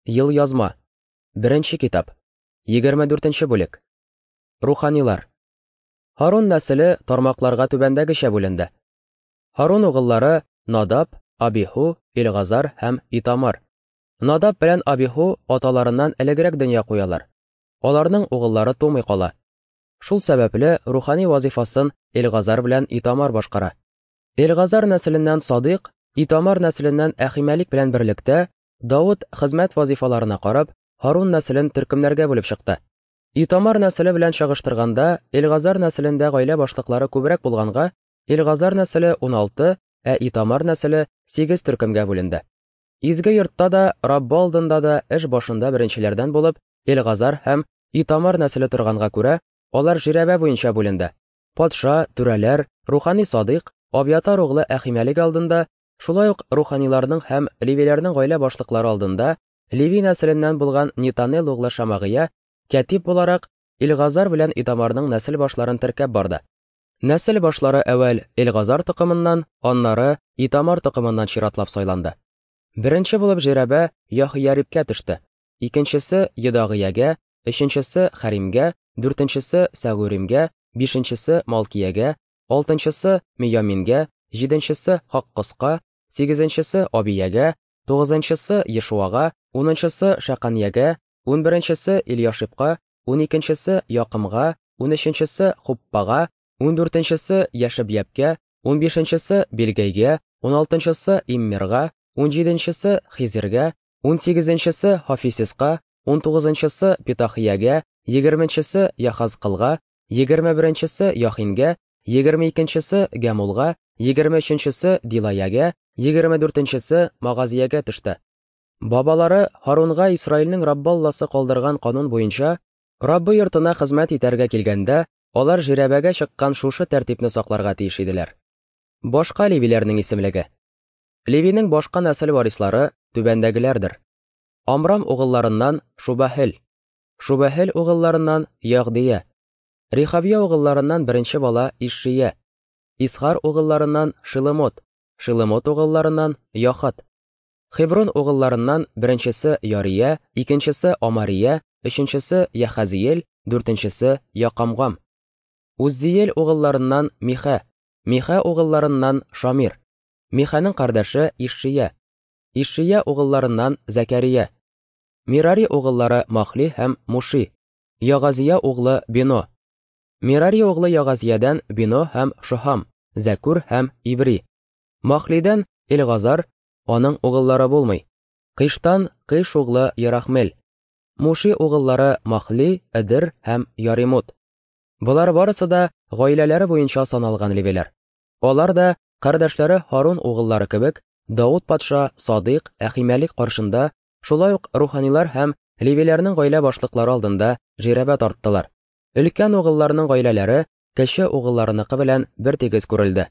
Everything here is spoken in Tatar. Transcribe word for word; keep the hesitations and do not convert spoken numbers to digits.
Елъязма. Беренче китап. Егерме дүртенче бүлек. Руханилар. Һарун нәселе тармакларга түбәндәгечә бүленде. Һарун угыллары Надаб, Абиху, Илгазар һәм Итамар. Надаб белән Абиху аталарыннан элегрәк дөнья куялар. Аларның угыллары тумый кала. Шул сәбәпле рухани вазифасын Илгазар белән Итамар башкара. Илгазар нәселеннән Садыйк, Итамар нәселеннән Әхимәлик белән берлектә Давыт хезмәт вазифаларына карап, Һарун нәселен төркемнәргә бүлеп чыкты. Итамар нәселе белән чагыштырганда, Илгазар нәселендә гаилә башлыклары күбрәк булганга, Илгазар нәселе уналты, ә Итамар нәселе сигез төркемгә бүленде. Изге йортта да, Раббы алдында да эш башында беренчеләрдән булып Илгазар һәм Итамар нәселе торганга күрә, алар жирәбә буенча бүленде. Патша, түрәләр, рухани Садыйк, Абиатар углы Әхимәлик алдында, шулай ук руханиларның һәм левиләрнең гаилә башлыклары алдында Леви нәселеннән булган Нитанел углы Шамагыя кәтиб буларак Илгазар белән Итамарның нәсел башларын теркәп барды. Нәсел башлары әүвәл Илгазар токымыннан, аннары Итамар токымыннан чиратлап сайланды. Беренче булып жирәбә Яһиярибкә төште, икенчесе Едагыягә, өченчесе Харимгә, дүртенчесе Сәгуримгә, бишенчесе Малкиягә, алтынчысы Миямингә, җиденчесе Хаккоска, сигезенчесе Абиягә, тугызынчысы Ешуага, унынчысы Шәканьягә, унберенчесе Ильяшибка, уникенчесе Якымга, унөченчесе Хуппага, ундүртенчесе Яшебьяпкә, унбишенчесе Билгәйгә, уналтынчысы Иммерга, унҗиденчесе Хизиргә, унсигезенчесе Хафисиска, унтугызынчысы Питахиягә, егерменчесе Яхазкылга, егерме беренчесе Яхингә, егерме икенчесе Гәмулга, егерме өченчесе Дилаягә, егерме дүртенчесе Магазиягә төште. Бабалары Һарунга Исраилнең Раббы Алласы калдырган канун буенча Раббы йортына хезмәт итәргә килгәндә, алар жирәбәгә чыккан шушы тәртипне сакларга тиеш иделәр. Башка левиләрнең исемлеге. Левинең башка нәсел варислары түбәндәгеләрдер. Амрам угылларыннан Шубаһел, Шубаһел угылларыннан Ягдия, Рихабия угылларыннан беренче бала Ишшия, Исхар угылларыннан Шилемот, Шилемот угылларыннан Яхат, Хеброн угылларыннан беренчесе Ярия, икенчесе Амария, өченчесе Яхазиел, дүртенчесе Якамгам. Уззиел угылларыннан Миха, Миха угылларыннан Шамир, Миханың кардәше Ишшия, Ишшия угылларыннан Зәкәрия, Мирари угыллары Махли һәм Муши, Ягазия углы Бино, Мирари углы Ягазиядән Бино һәм Шоһам, Зәкүр һәм Ибри, Махлидән Илгазар, аның угыллары булмый. Кыштан Кыш углы Ярахмел, Муши угыллары Махли, Эдер һәм Яримут. Болар барысы да гаиләләре буенча саналган левиләр. Алар да кардәшләре Һарун угыллары кебек Давыт патша Садыйк Әхимәлик каршында, шулай ук руханилар һәм левиләрнең гаилә башлыклары алдында жирәбә тарттылар. Өлкән угылларның гаиләләре кече угылларыныкы белән бертигез күрелде.